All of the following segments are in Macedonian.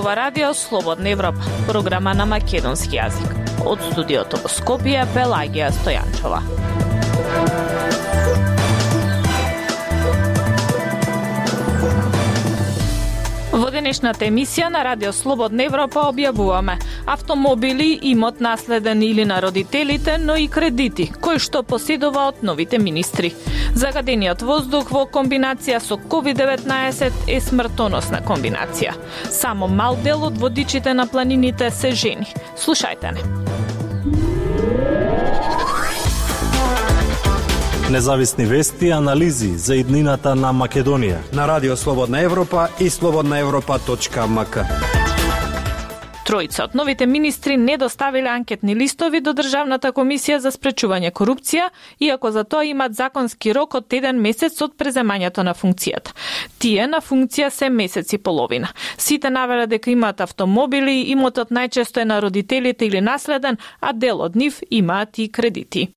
зборува Радио Слободна Европа, програма на македонски јазик. Од студиото во Скопје, Пелагија Стојанчова. Во денешната емисија на Радио Слободна Европа објавуваме автомобили, имот наследен или на родителите, но и кредити, кои што поседува од новите министри. Загадениот воздух во комбинација со COVID-19 е смртоносна комбинација. Само мал дел од водичите на планините се жени. Слушајте не. Независни вести и анализи за иднината на Македонија на Радио Слободна Европа и slobodnaevropa.mk. Тројца од новите министри не доставиле анкетни листови до Државната комисија за спречување корупција, иако за тоа имат законски рок од 1 месец од преземањето на функцијата. Тие на функција се месец и половина. Сите навеле дека имаат автомобили, имотот најчесто е на родителите или наследен, а дел од нив имаат и кредити.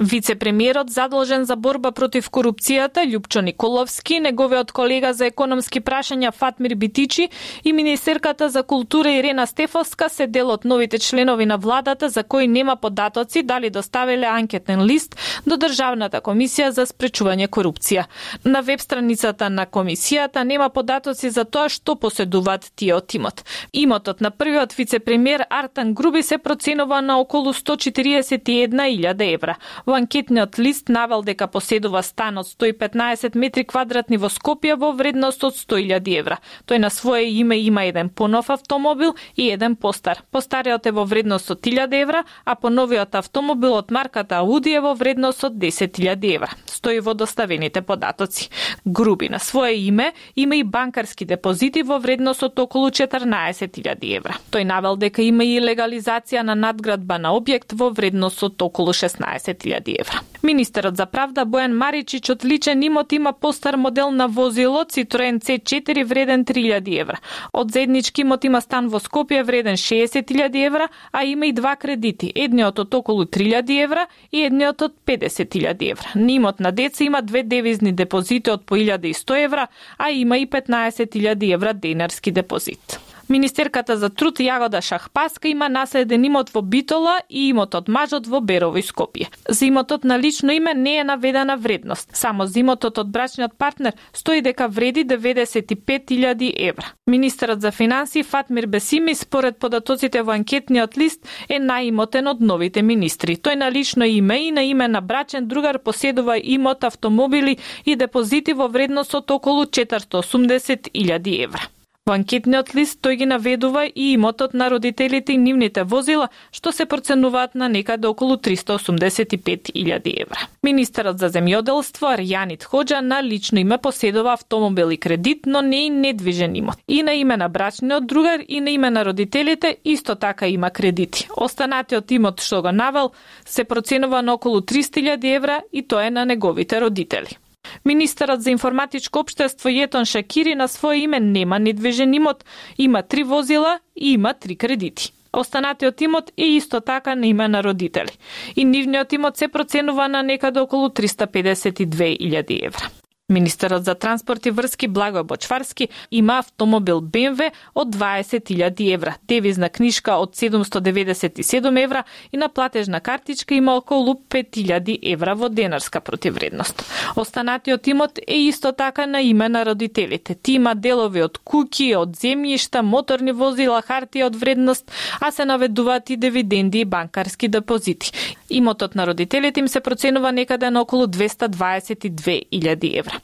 Вице-премиерот задолжен за борба против корупцијата Љупчо Николовски, неговиот колега за економски прашања Фатмир Битичи и министерката за култура Ирена Стефовска се дел од новите членови на владата за кои нема податоци дали доставиле анкетен лист до Државната комисија за спречување корупција. На веб страницата на комисијата нема податоци за тоа што поседуваат тие од имот. Имотот на првиот вице-премиер Артан Груби се проценува на околу 141.000 евра. Во анкетниот лист навел дека поседува стан од 115 метри квадратни во Скопје во вредност од 100.000 евра. Тој на свое име има еден понов автомобил и еден постар. Постариот е во вредност од 1.000 евра, а поновиот автомобил од марката Ауди е во вредност од 10.000 евра. Стои во доставените податоци. Груби на свое име има и банкарски депозити во вредност од околу 14.000 евра. Тој навел дека има и легализација на надградба на објект во вредност од околу 16.000 евра. Министерот за правда Бојан Маричич од личен имот има постар модел на возило Citroen C4 вреден 3.000 евра. Од заеднички имот има стан во Скопје вреден 60.000 евра, а има и два кредити, едниот од околу 3.000 евра и едниот од 50.000 евра. На имот на деца има две девизни депозити од по 1.100 евра, а има и 15.000 евра денарски депозит. Министерката за труд Јагода Шахпаска има наследен имот во Битола и имот од мажот во Берово и Скопје. За имотот на лично име не е наведена вредност. Само за имотот од брачниот партнер стои дека вреди 95.000 евра. Министерот за финансии Фатмир Бесими според податоците во анкетниот лист е наимотен од новите министри. Тој на лично име и на име на брачен другар поседува имот, автомобили и депозити во вредност од околу 480.000 евра. Во анкетниот лист тој ги наведува и имотот на родителите и нивните возила, што се проценуваат на некаде околу 385.000 евра. Министерот за земјоделство Арјанит Хоџа на лично име поседува автомобил и кредит, но не и недвижен имот. И на име на брачниот другар и на име на родителите исто така има кредити. Останатиот имот што го навел се проценува на околу 300.000 евра и тоа е на неговите родители. Министерот за информатичко општество Јетон Шакири на свое име нема недвижен имот, има 3 возила и има 3 кредити. Останатиот имот е исто така на име на родители. И нивниот имот се проценува на некаде околу 352.000 евра. Министерот за транспорт и врски Благој Бочварски има автомобил BMW од 20.000 евра, девизна книжка од 797 евра и на платежна картичка има околу 5.000 евра во денарска противвредност. Останатиот имот е исто така на име на родителите. Ти има делови од куќи, од земјишта, моторни возила, хартија од вредност, а се наведуваат и дивиденди и банкарски депозити. Имотот на родителите им се проценува некаде на околу 222.000 евра.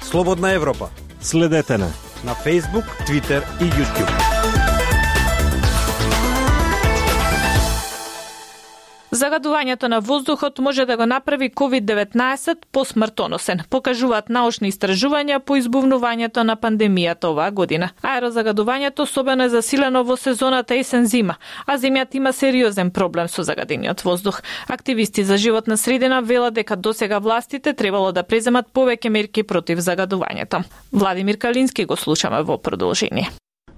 Слободна Европа. Следете на Facebook, Twitter и YouTube. Загадувањето на воздухот може да го направи COVID-19 посмртоносен, покажуваат научни истражувања по избувнувањето на пандемијата оваа година. Аерозагадувањето особено е засилено во сезоната есен-зима, а земјата има сериозен проблем со загадениот воздух. Активисти за животна средина велат дека досега властите требало да преземат повеќе мерки против загадувањето. Владимир Калински го слушаме во продолжение.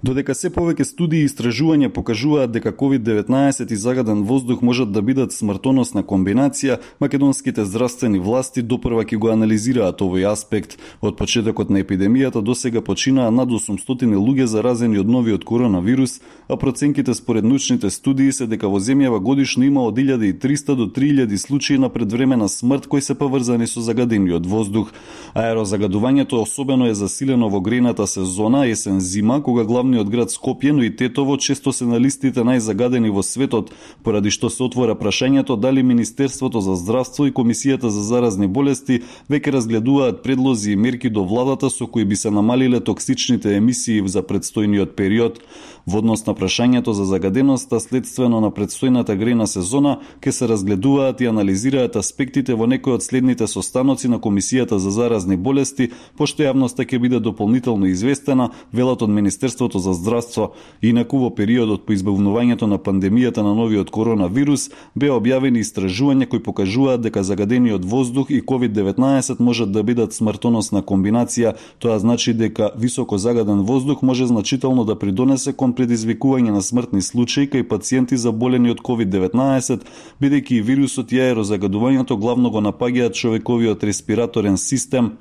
Додека се повеќе студии и истражувања покажуваат дека COVID-19 и загаден воздух можат да бидат смртоносна комбинација, македонските здравствени власти допрва ќе го анализираат овој аспект. Од почетокот на епидемијата досега починаа над 800 луѓе заразени од новиот коронавирус, а проценките според научните студии се дека во земјава годишно има од 1300 до 3000 случаи на предвремена смрт кои се поврзани со загадениот воздух. Аерозагадувањето особено е засилено во грејната сезона есен-зима, кога главниот град Скопје, но и Тетово често се на листите најзагадени во светот, поради што се отвора прашањето дали Министерството за здравство и Комисијата за заразни болести веќе разгледуваат предлози и мерки до владата со кои би се намалиле токсичните емисии за предстојниот период. Во однос на прашањето за загаденоста следствено на предстојната грејна сезона, ќе се разгледуваат и анализираат аспектите во некои од следните состаноци на Комисијата за заразни болести, пошто јавноста ќе биде дополнително известена, велат од Министерството за здравство. Инаку во периодот по избавувањето на пандемијата на новиот коронавирус беа објавени истражувања кои покажуваат дека загадениот воздух и COVID-19 можат да бидат смртоносна комбинација. Тоа значи дека високо загаден воздух може значително да придонесе кон предизвикување на смртни случаи кај пациенти заболени од COVID-19, бидејќи и вирусот и аерозагадувањето главно го напаѓаат човековиот респираторен систем.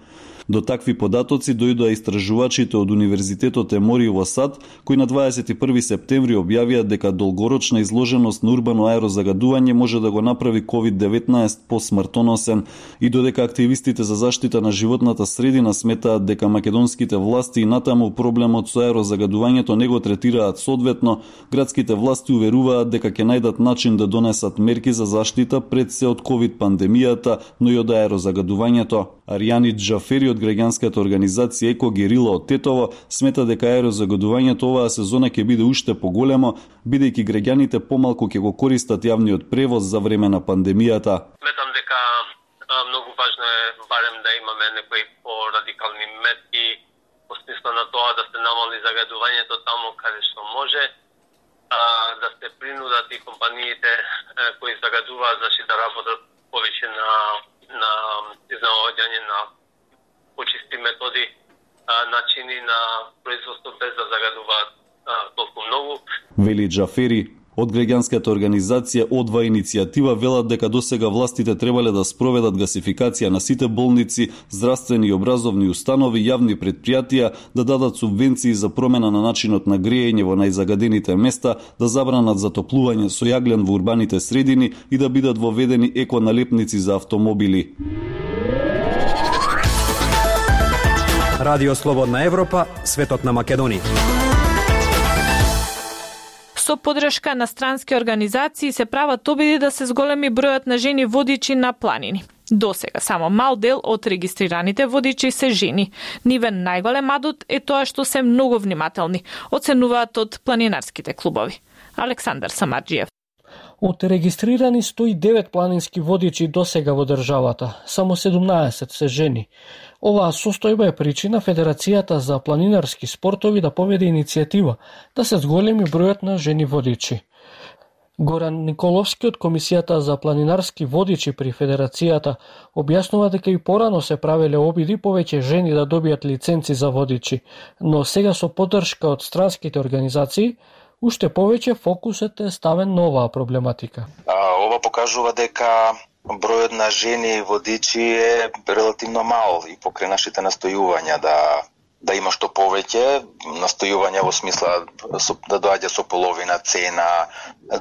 До такви податоци дојдоа истражувачите од Универзитетот Емори во САД, кои на 21 септември објавија дека долгорочна изложеност на урбано аерозагадување може да го направи COVID-19 посмртоносен и додека активистите за заштита на животната средина сметаат дека македонските власти и натаму проблемот со аерозагадувањето не го третираат соодветно, градските власти уверуваат дека ќе најдат начин да донесат мерки за заштита пред се од COVID пандемијата, но и од аерозагадувањето. Аријани Џафери од граѓанската организација Еко Герила од Тетово смета дека аерозагадувањето оваа сезона ќе биде уште поголемо, бидејќи граѓаните помалку ќе го користат јавниот превоз за време на пандемијата. Сметам дека многу важно е барем да имаме некои порадикални мерки во смисла на тоа да се намали загадувањето таму каде што може, да се принудат и компаниите кои загадуваат, значи да работат повеќе на изнаоѓање на почисти методи, начини на производство без да загадуваат толку многу. Вели Џафери. Од граѓанската организација Одва иницијатива велат дека досега властите требале да спроведат гасификација на сите болници, здравствени и образовни установи, јавни предпријатија, да дадат субвенции за промена на начинот на грејење во најзагадените места, да забранат затоплување со јаглен во урбаните средини и да бидат воведени еконалепници за автомобили. Радио Слободна Европа, светот на Македонија. Со подршка на странски организации се прават обиди да се зголеми бројот на жени водичи на планини. Досега само мал дел од регистрираните водичи се жени. Нивен најголем адут е тоа што се многу внимателни, оценуваат од планинарските клубови. Александар Самарџиев. Од регистрирани 109 планински водичи досега во државата, само 17 се жени. Оваа состојба е причина Федерацијата за планинарски спортови да поведе иницијатива да се зголеми бројот на жени водичи. Горан Николовски од Комисијата за планинарски водичи при Федерацијата објаснува дека и порано се правеле обиди повеќе жени да добијат лиценци за водичи, но сега со поддршка од странските организации уште повеќе фокусот е ставен на оваа проблематика. Ова покажува дека бројот на жени водичи е релативно мал и покрај нашите настојувања да има што повеќе, настојувања во смисла да доаѓа со половина цена,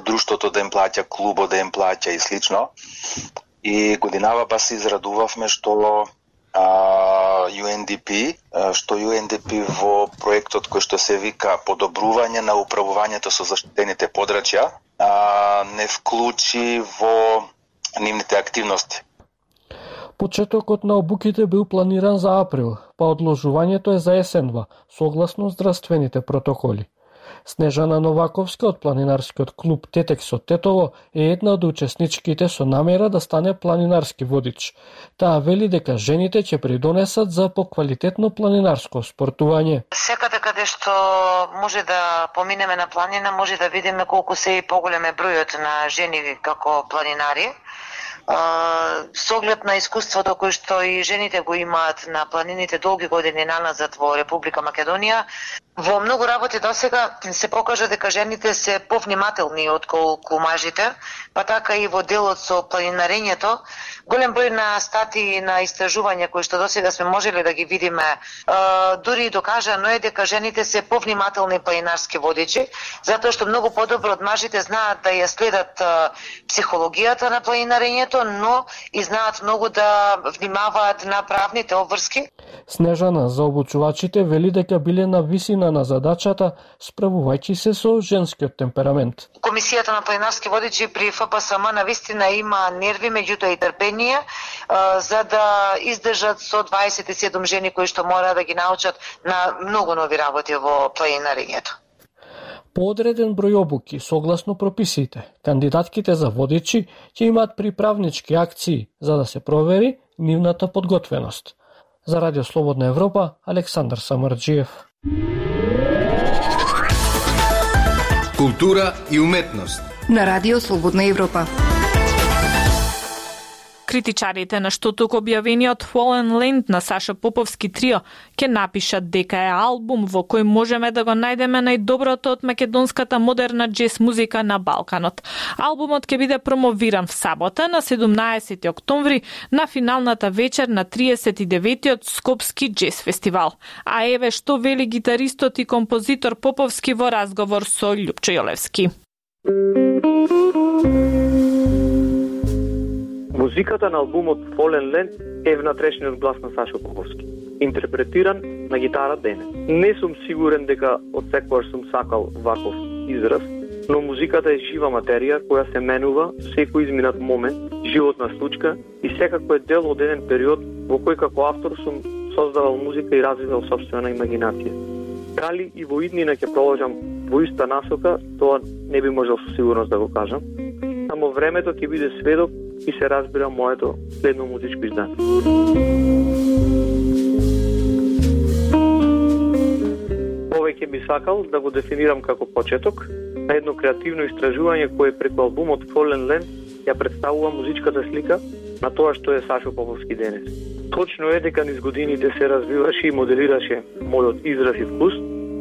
друштвото да им плаќа, клубот да им плаќа и слично. И годинава бас се израдувавме што UNDP во проектот кој што се вика подобрување на управувањето со заштитените подрачја не вклучи во нивните активности. Почетокот на обуките бил планиран за април, па одложувањето е за есенва, согласно здравствените протоколи. Снежана Новаковска од планинарскиот клуб Тетекс од Тетово е една од учесничките со намера да стане планинарски водич. Таа вели дека жените ќе придонесат за поквалитетно планинарско спортување. Секаде каде што може да поминеме на планина, може да видиме колку се и поголем е бројот на жени како планинари. Со оглед на искуството кој што и жените го имаат на планините долги години наназад во Република Македонија, Во многу работи досега се покажа дека жените се повнимателни отколку мажите, па така и во делот со планинарењето. Голем број на статии на истражувања кои што досега сме можеле да ги видиме, дури и докажано е дека жените се повнимателни планинарски водичи, затоа што многу подобро од мажите знаат да ја следат психологијата на планинарењето, но и знаат многу да внимаваат на правните обврски. Снежана за обучувачите вели дека биле на висина на задачата, справувајќи се со женскиот темперамент. Комисијата на планинарски водичи при ФПСМ навистина има нерви, меѓутоа и трпение, за да издржат со 27 жени кои што мора да ги научат на многу нови работи во планинарењето. По одреден број обуки, согласно прописите, кандидатките за водичи ќе имаат приправнички акции за да се провери нивната подготвеност. За Радио Слободна Европа, Александар Самарджиев. Култура и уметност на Радио Слободна Европа. Критичарите на штоток објавениот Fallen Land на Саша Поповски трио ќе напишат дека е албум во кој можеме да го најдеме најдоброто од македонската модерна џез музика на Балканот. Албумот ќе биде промовиран в сабота на 17 октомври на финалната вечер на 39-тиот Скопски џез фестивал. А еве што вели гитаристот и композитор Поповски во разговор со Љупчо Јолевски. Музиката на албумот Fallen Land е внатрешниот глас на Сашо Поповски, интерпретиран на гитара денес. Не сум сигурен дека од секогаш сум сакал ваков израз, но музиката е жива материја која се менува секој изминат момент, животна случка и секако е дел од еден период во кој како автор сум создавал музика и развивал собствена имагинација. Дали и во иднина ќе продолжам во иста насока, тоа не би можел со сигурност да го кажам. Само времето ќе биде сведок и се разбира моето следно музичко издание. Повеќе би сакал да го дефинирам како почеток на едно креативно истражување кое преку албумот Fallen Land ја представува музичката слика на тоа што е Сашо Поповски денес. Точно е дека низ годините се развиваше и моделираше мојот израз и вкус,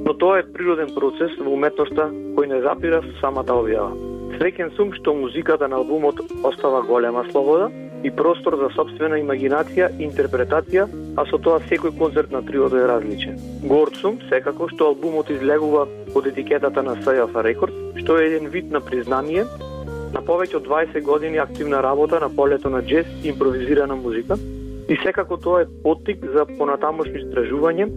но тоа е природен процес во уметноста кој не запира со самата објава. Среќен сум што музиката на албумот остава голема слобода и простор за собствена имагинација и интерпретација, а со тоа секој концерт на триото е различен. Горд сум секако што албумот излегува под етикетата на Сајафа Рекорд, што е еден вид на признание на повеќе од 20 години активна работа на полето на џез и импровизирана музика, и секако тоа е поттик за понатамошно истражување,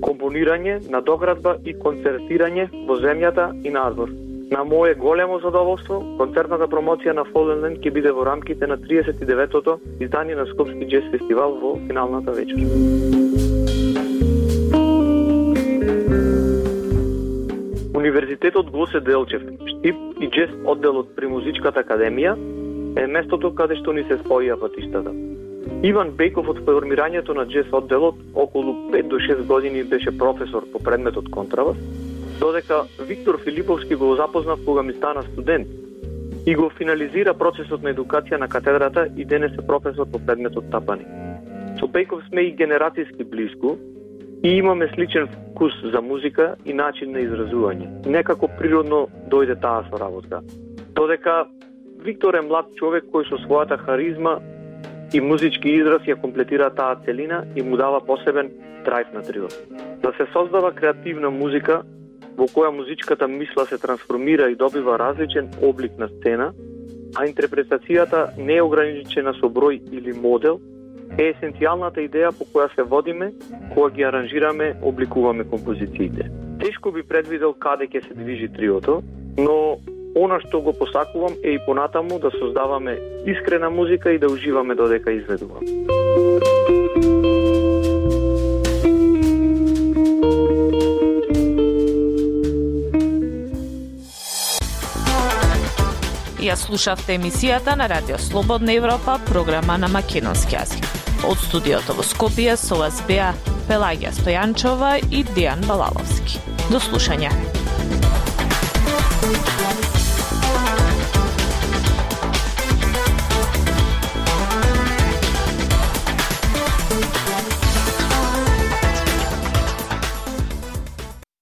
компонирање, надоградба и концертирање во земјата и надвор. На моје големо задоволство, концертната промоција на Fallen Land ќе биде во рамките на 39-тото издание на Скопски џез фестивал во финалната вечер. Универзитетот Гоце Делчев, Штип и џез одделот при Музичката академија е местото каде што ни се споија патиштата. Иван Беков од формирањето на џез одделот околу 5 до 6 години беше професор по предметот контрабас, додека Виктор Филиповски го запознав кога ми стана студент и го финализира процесот на едукација на катедрата и денес е професор по предметот тапани. Со Беков сме и генерацијски блиску и имаме сличен вкус за музика и начин на изразување. Некако природно дојде таа соработка. Додека Виктор е млад човек кој со својата харизма и музички израз ја комплетира таа целина и му дава посебен драйв на триот. Да се создава креативна музика во која музичката мисла се трансформира и добива различен облик на сцена, а интерпретацијата не е ограничена со број или модел, е есенцијалната идеја по која се водиме кога ги аранжираме, обликуваме композициите. Тешко би предвидел каде ќе се движи триото, но она што го посакувам е и понатаму да создаваме искрена музика и да уживаме додека изведуваме. Ја слушавте емисијата на Радио Слободна Европа, програма на македонски јазик. Од студиото во Скопје со вас беа Пелагија Стојанчова и Дејан Балаловски. До слушање.